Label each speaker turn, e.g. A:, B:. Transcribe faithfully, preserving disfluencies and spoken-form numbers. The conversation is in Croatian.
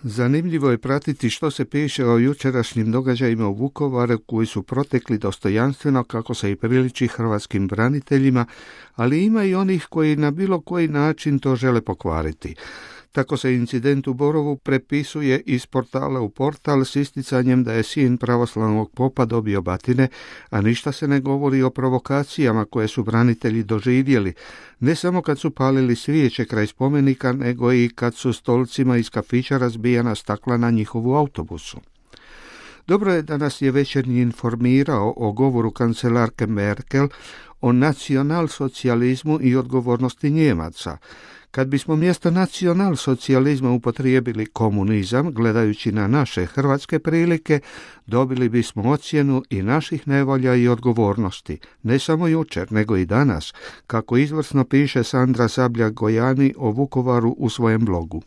A: Zanimljivo je pratiti što se piše o jučerašnjim događajima u Vukovaru koji su protekli dostojanstveno kako se i priliči hrvatskim braniteljima, ali ima i onih koji na bilo koji način to žele pokvariti. Tako se incident u Borovu prepisuje iz portala u portal s isticanjem da je sin pravoslavnog popa dobio batine, a ništa se ne govori o provokacijama koje su branitelji doživjeli, ne samo kad su palili svijeće kraj spomenika, nego i kad su stolcima iz kafića razbijana stakla na njihovu autobusu. Dobro je da nas je Večernji informirao o govoru kancelarke Merkel o nacionalsocijalizmu i odgovornosti Njemaca. Kad bismo mjesto nacionalsocijalizma upotrijebili komunizam, gledajući na naše hrvatske prilike, dobili bismo ocjenu i naših nevolja i odgovornosti, ne samo jučer, nego i danas, kako izvrsno piše Sandra Sabljak-Gojani o Vukovaru u svojem blogu.